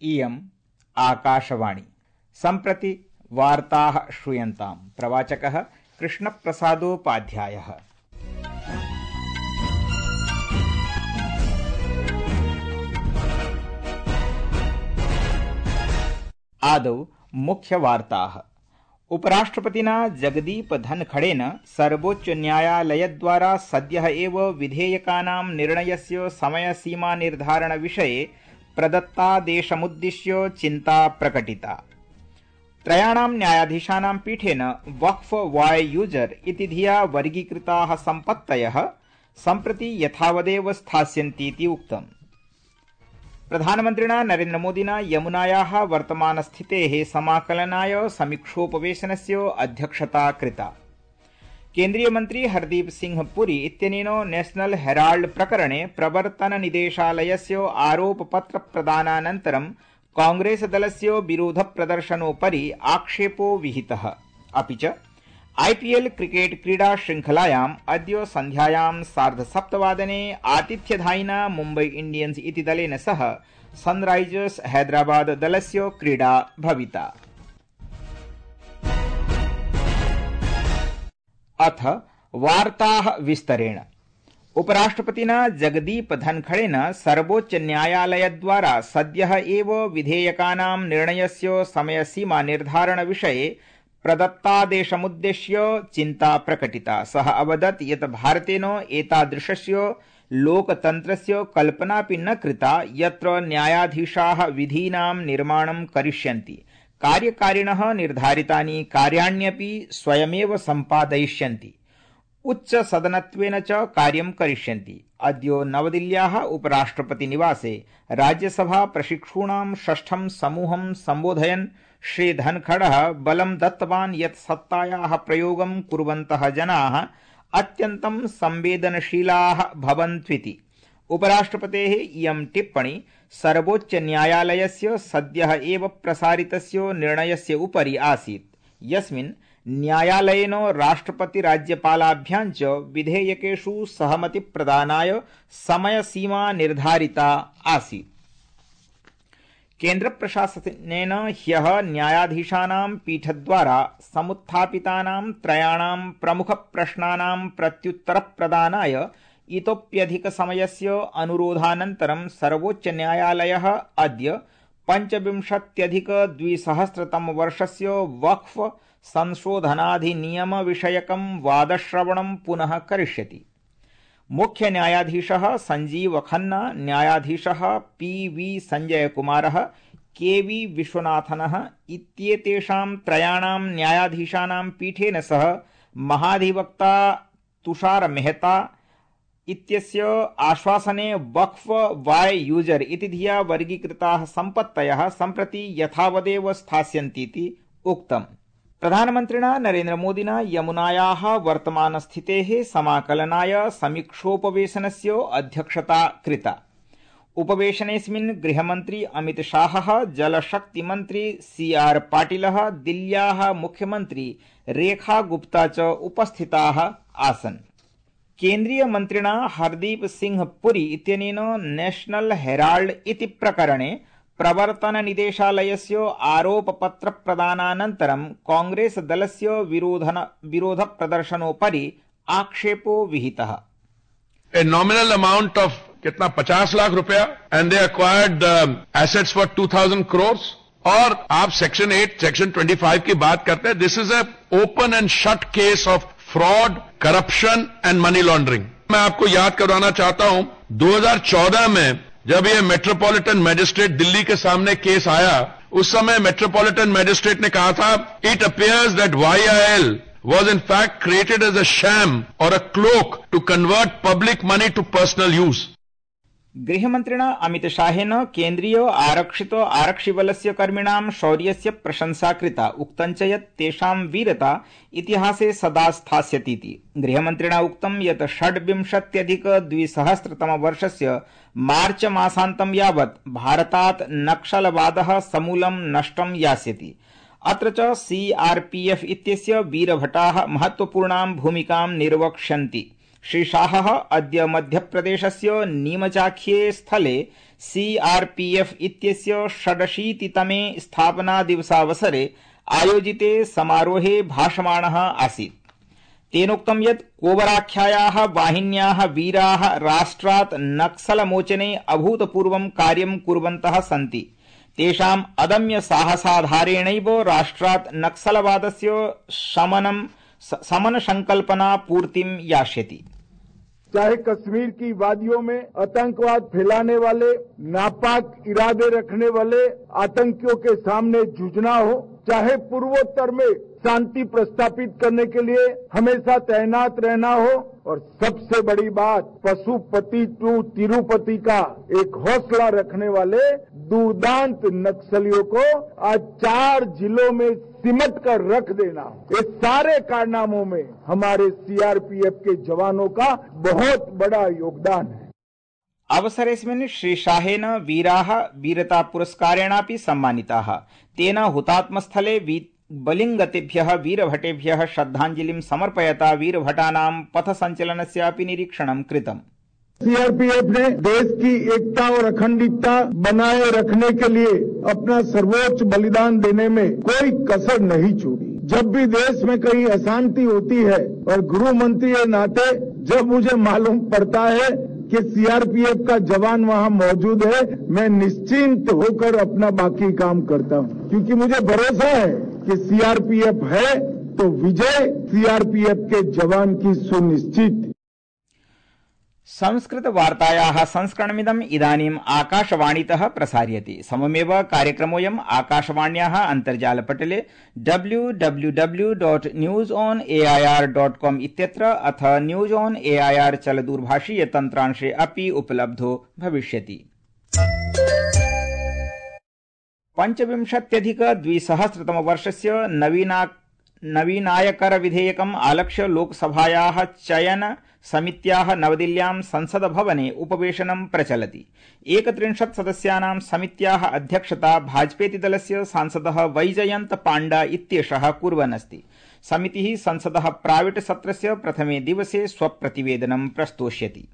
इयम् आकाशवाणी। सम्प्रति वार्ताः श्रूयन्ताम्। प्रवाचकः कृष्णप्रसादोपाध्यायः। आदौ मुख्यवार्ताः। उपराष्ट्रपतिना जगदीप धनखड़ेन सर्वोच्चन्यायालयद्वारा सद्यः एव विधेयकानां निर्णयस्य समयसीमा निर्धारण विषये प्रदत्तादेशमुद्दिश्य चिन्ता प्रकटिता। त्रयाणां न्यायाधीशानां पीठेन वक्फ वाय यूजर इति धिया वर्गीकृताः सम्पत्तयः सम्प्रति यथावदेव स्थास्यन्तीति उक्तम्। प्रधानमन्त्रिणा नरेन्द्रमोदिना यमुनायाः वर्तमानस्थितेः समाकलनाय समीक्षोपवेशनस्य अध्यक्षता कृता। केन्द्रीयमन्त्री हरदीप सिंह पुरी इत्यनेन नेशनल हेराल्ड प्रकरणे प्रवर्तननिदेशालयस्य आरोपपत्रप्रदानानन्तरं कांग्रेसदलस्य विरोधप्रदर्शनोपरि आक्षेपो विहितः। अपि च आईपीएल क्रिकेट क्रीडा श्रृंखलायाम् अद्य सन्ध्यायां 7:30 आतिथ्यधायिना मुम्बई इंडियन्स इति दलेन सह सनराइजर्स हैदराबाद दलस्य क्रीडा भविता। अथ वार्ताः विस्तरेण। उपराष्ट्रपतिना जगदीप धनखड़ेन सर्वोच्चन्यायालयद्वारा सद्यः एव विधेयकानां निर्णयस्य समयसीमा निर्धारण विषये प्रदत्तादेशमुद्दिश्य चिन्ता प्रकटिता। सः अवदत् यत् भारतेन एतादृशस्य लोकतन्त्रस्य कल्पनापि न कृता यत्र न्यायाधीशाः विधीनां निर्माणं करिष्यन्ति, कार्यकारिणः निर्धारितानि कार्याण्यपि स्वयमेव सम्पादयिष्यन्ति, उच्चसदनत्वेन च कार्यं करिष्यन्ति। अद्य नवदिल्ल्याः उपराष्ट्रपतिनिवासे राज्यसभा प्रशिक्षूणां षष्ठं समूहं सम्बोधयन् श्री धनखड़ः बलं दत्तवान् यत् सत्तायाः प्रयोगं कुर्वन्तः जनाः अत्यन्तं संवेदनशीलाः भवन्त्विति। उपराष्ट्रपतेः इयं टिप्पणी सर्वोच्चन्यायालयस्य सद्यः एव प्रसारितस्य निर्णयस्य उपरि आसीत्, यस्मिन् न्यायालयेन राष्ट्रपतिराज्यपालाभ्यां च विधेयकेषु सहमतिप्रदानाय समयसीमा निर्धारिता आसीत्। केन्द्रप्रशासनेन ह्यः न्यायाधीशानां पीठद्वारा समुत्थापितानां त्रयाणां प्रमुखप्रश्नानां प्रत्युत्तरप्रदानाय इतोप्यधिकसमयस्य अनुरोधानन्तरं सर्वोच्चन्यायालयः अद्य 25,200 वक्फ संशोधनाधिनियमविषयकं वादश्रवणं पुनः करिष्यति। मुख्य न्यायाधीशः संजीव खन्ना, न्यायाधीशः पी.वी. संजय कुमारः, के.वी. विश्वनाथनः इत्येतेषां त्रयाणां न्यायाधीशानां पीठेन सह महाधिवक्ता तुषार मेहता इत्यस्य आश्वासने वक्फ वाय यूजर इति धिया वर्गीकृताः सम्पत्तयः सम्प्रति यथावदेव स्थास्यन्तीति उक्तम्। प्रधानमन्त्रिणा नरेन्द्रमोदिना यमुनायाः वर्तमानस्थितेः समाकलनाय समीक्षोपवेशनस्य अध्यक्षता कृता। उपवेशनेऽस्मिन् गृहमन्त्री अमित शाहः, जलशक्तिमन्त्री सी.आर. पाटिलः, दिल्ल्याः मुख्यमन्त्री रेखा गुप्ता च उपस्थिताः आसन्। केन्द्रीयमन्त्रिणा हरदीप सिंह पुरी इत्यनेन नेशनल हेराल्ड इति प्रकरणे प्रवर्तननिदेशालयस्य आरोपपत्रप्रदानानन्तरं कांग्रेसदलस्य विरोधप्रदर्शनोपरि आक्षेपो विहितः। A nominal amount of कितना 50 लाख रुपया and they acquired assets for 2,000 crores और आप सेक्शन 8 सेक्शन 25 की बात करते हैं। This is a open and shut case of fraud, corruption and money laundering। मैं आपको याद करवाना चाहता हूं 2014 में जब ये मेट्रोपॉलिटन मैजिस्ट्रेट दिल्ली के सामने केस आया, उस समय मेट्रोपॉलिटन मैजिस्ट्रेट ने कहा था it appears that YIL was in fact created as a sham or a cloak to convert public money to personal use। गृहमन्त्रिणा अमित शाहेन केन्द्रीय आरक्षित आरक्षिबलस्य कर्मिणां शौर्यस्य प्रशंसा कृता। उक्तञ्च यत् तेषां वीरता इतिहासे सदा स्थास्यतीति। गृहमन्त्रिणा उक्तं यत् 26,200 मार्च मासान्तं यावत् भारतात् नक्सलवादः समूलं नष्टं यास्यति। अत्र च CRPF इत्यस्य वीरभटाः महत्वपूर्णां भूमिकां निर्वक्ष्यन्ति। श्री शाहः अद्य मध्यप्रदेशस्य नीमचाख्ये स्थले सीआरपीएफ इत्यस्य 86तमे स्थापनादिवसावसरे आयोजिते समारोहे भाषमाणः आसीत्। तेनोक्तं यत् कोबराख्यायाः वाहिन्याः वीराः राष्ट्रात् नक्सलमोचने अभूतपूर्वं कार्यं कुर्वन्तः सन्ति। तेषाम् अदम्य साहसाधारेणैव राष्ट्रात् नक्सलवादस्य समन संकल्पना पूर्तिं यास्यति। चाहे कश्मीर की वादियों में आतंकवाद फैलाने वाले, नापाक इरादे रखने वाले आतंकियों के सामने जूझना हो, चाहे पूर्वोत्तर में शांति प्रस्थापित करने के लिए हमेशा तैनात रहना हो, और सबसे बड़ी बात पशुपति टू तिरुपति का एक हौसला रखने वाले दुर्दांत नक्सलियों को आज 4 जिलों में सिमट कर रख देना, ये सारे कारनामों में हमारे सीआरपीएफ के जवानों का बहुत बड़ा योगदान है। अवसरेऽस्मिन् श्री शाहेन वीराः वीरता पुरस्कारेणापि सम्मानिताः। तेन हुतात्मस्थले बलिंगतेभ्यः वीरभटेभ्यः श्रद्धांजलिं समर्पयता वीरभटानां पथसञ्चलनस्यापि निरीक्षणं कृतम्। सीआरपीएफ ने देश की एकता और अखंडता बनाए रखने के लिए अपना सर्वोच्च बलिदान देने में कोई कसर नहीं छोड़ी। जब भी देश में कहीं अशांति होती है और गृह मंत्री के नाते जब मुझे मालूम पड़ता है कि सीआरपीएफ का जवान वहां मौजूद है, मैं निश्चिंत होकर अपना बाकी काम करता हूं, क्योंकि मुझे भरोसा है कि सीआरपीएफ है तो विजय सीआरपीएफ के जवान की सुनिश्चित। संस्कृत वार्तायाः संस्करणमिदम् इदानीम् आकाशवाणीतः प्रसार्यते। सममेव कार्यक्रमोऽयम् आकाशवाण्याः अन्तर्जालपटले www.newsonair.com इत्यत्र अथ न्यूज ऑन एआईआर चलदूरभाषीय तन्त्रांशे अपि उपलब्धो भविष्यति। 25,अधिक-2000 नवीनायकर विधेयकम् आलक्ष्य लोकसभायाः चयन समित्याः नवदिल्ल्यां संसद भवने उपवेशनं प्रचलति। 31 सदस्यानां समित्याः अध्यक्षता भाजपेति दलस्य सांसदः वैजयन्त पाण्डा इत्येषः कुर्वन् अस्ति। समितिः संसदः प्राविट सत्रस्य प्रथमे दिवसे स्वप्रतिवेदनं प्रस्तोष्यति।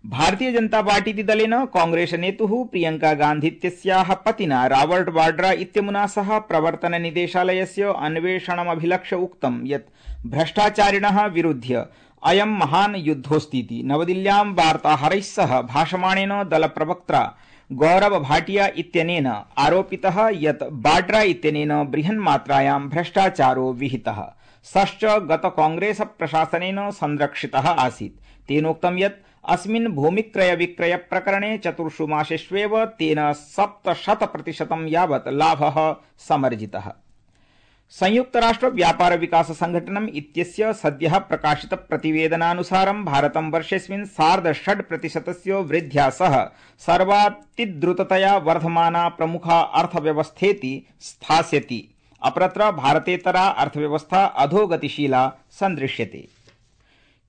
भारतीय जनता पार्टीति दलेन कांग्रेस नेतुः प्रियंका गान्धीत्यस्याः पतिना रॉबर्ट वाड्रा इत्यमुना सह प्रवर्तन निदेशालयस्य अन्वेषणमभिलक्ष्य उक्तं यत् भ्रष्टाचारिणः विरुध्य अयं महान् युद्धोऽस्तीति। नवदिल्ल्यां वार्ताहरैः सह भाषमाणेन दलप्रवक्त्रा गौरव भाटिया इत्यनेन आरोपितः यत् वाड्रा इत्यनेन बृहन्मात्रायां भ्रष्टाचारो विहितः। सश्च गत कांग्रेस प्रशासनेन संरक्षितः आसीत्। तेनोक्तं यत् अस्मिन् भूमिक्रय विक्रय प्रकरणे 4 मासेष्वेव तेन 700% यावत् लाभः समर्जितः। संयुक्त राष्ट्र व्यापार विकास संघटनम् इत्यस्य सद्यः प्रकाशित प्रतिवेदनानुसारं भारतं वर्षेऽस्मिन् 6.5% वृद्ध्या सह सर्वातिद्रुततया वर्धमाना प्रमुखा अर्थव्यवस्थेति स्थास्यति। अपरत्र भारतेतरा अर्थव्यवस्था अधोगतिशीला सन्दृश्यते।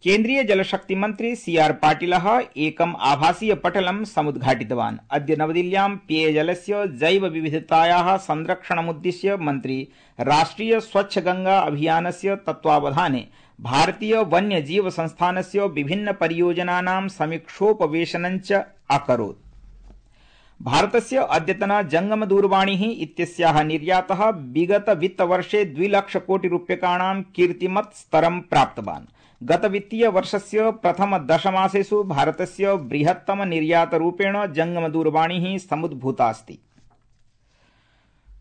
केन्द्रीय जलशक्ति मंत्री सीआर पाटिलः एकम् आभासीय पटलं समुद्घाटितवान्। अद्य नवदिल्ल्यां पेयजलस्य जैव विविधतायाः संरक्षणमुद्दिश्य मन्त्री राष्ट्रिय स्वच्छ गंगा अभियानस्य तत्त्वावधाने भारतीय वन्यजीव संस्थानस्य विभिन्न परियोजनानां समीक्षोपवेशनञ्च अकरोत्। भारतस्य अद्यतन जंगम दूरवाणी इत्यस्याः निर्यातः विगत वित्तवर्षे 2 लाख कोटि रूप्यकाणां कीर्तिमत् स्तरं प्राप्तवान्। गत वित्तीय वर्षस्य प्रथम 10 मासेषु भारतस्य बृहत्तम निर्यातरूपेण जंगम दूरवाणी समुद्भूता अस्ति।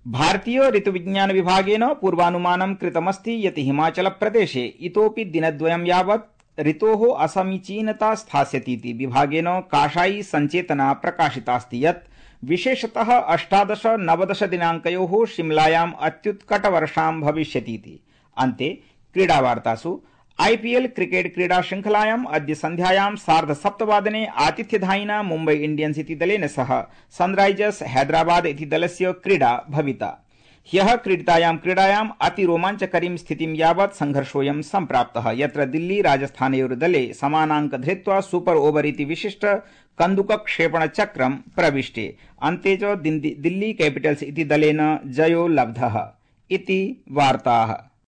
भारतीय ऋतुविज्ञान विभागेन पूर्वानुमानं कृतमस्ति यत् हिमाचल प्रदेशे इतोपि दिनद्वयं यावत् ऋतोः असमीचीनता स्थास्यतीति। विभागेन काषायी संचेतना प्रकाशितास्ति यत् विशेषतः 18-19 दिनाङ्कयोः शिमलायाम् अत्युत्कटवर्षां भविष्यतीति। अन्ते क्रीडावार्तासु आईपीएल क्रिकेट क्रीडा श्रृंखलायाम् अद्य सन्ध्यायां 7:30 आतिथ्यधायिना मुम्बई इंडियन्स इति दलेन सह सनराइजर्स हैदराबाद इति दलस्य क्रीडा भविता। ह्यः क्रीडितायां क्रीडायाम् अतिरोमाञ्चकरीं स्थितिं यावत् संघर्षोऽयं सम्प्राप्तः, यत्र दिल्ली राजस्थानयोर्दले समानाङ्क धृत्वा सुपर ओवर इति विशिष्ट कन्दुकक्षेपणचक्रं प्रविष्टे। अन्ते च दिल्ली कैपिटल्स इति दलेन जयो लब्धः। इति वार्ताः।